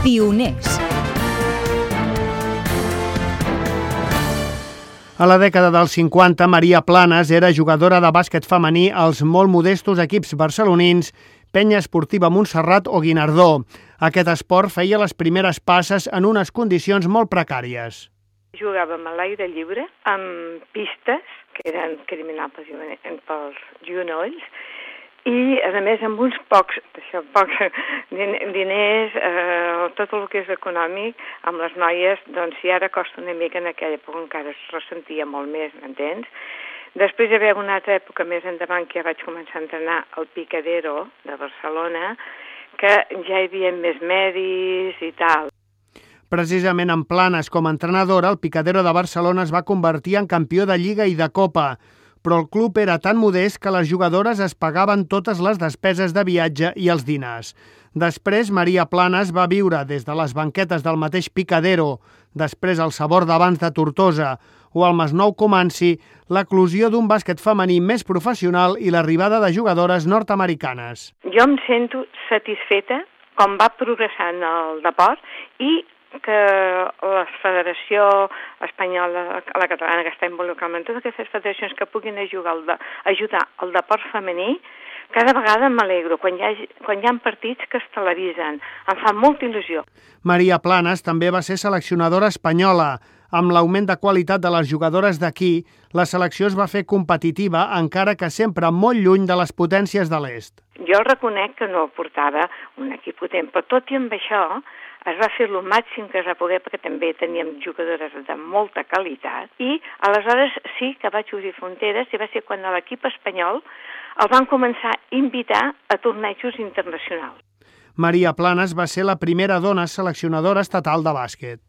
Pioners. A la dècada dels 50, Maria Planas era jugadora de bàsquet femení als molt modestos equips barcelonins Penya Esportiva Montserrat o Guinardó. Aquest esport feia les primeres passes en unes condicions molt precàries. Jugàvem a l'aire lliure, amb pistes, que eren criminables pels genolls, i, a més, amb uns pocs diners, tot el que és econòmic, amb les noies, doncs si ara costa una mica, en aquella època encara es ressentia molt més, m'entens? Després hi havia una altra època més endavant que ja vaig començar a entrenar al Picadero de Barcelona, que ja hi havia més medis i tal. Precisament en Planas, com a entrenadora, el Picadero de Barcelona es va convertir en campió de Lliga i de Copa, però el club era tan modest que les jugadores es pagaven totes les despeses de viatge i els dinars. Després, Maria Planas va viure des de les banquetes del mateix Picadero, després el Sabor d'Abans de Tortosa o al Masnou Comanci, l'eclosió d'un bàsquet femení més professional i l'arribada de jugadores nord-americanes. Jo em sento satisfeta com va progressant el deport i que la Federació Espanyola, la catalana, que està involucrada en totes aquestes federacions que puguin ajudar el deport femení, cada vegada m'alegro quan hi ha partits que es televisen. Em fa molta il·lusió. Maria Planas també va ser seleccionadora espanyola. Amb l'augment de qualitat de les jugadores d'aquí, la selecció es va fer competitiva, encara que sempre molt lluny de les potències de l'est. Jo reconec que no portava un equip potent, però tot i amb això es va fer el màxim que es va poder, perquè també teníem jugadores de molta qualitat, i aleshores sí que vaig obrir fronteres, i va ser quan l'equip espanyol el van començar a invitar a tornejos internacionals. Maria Planas va ser la primera dona seleccionadora estatal de bàsquet.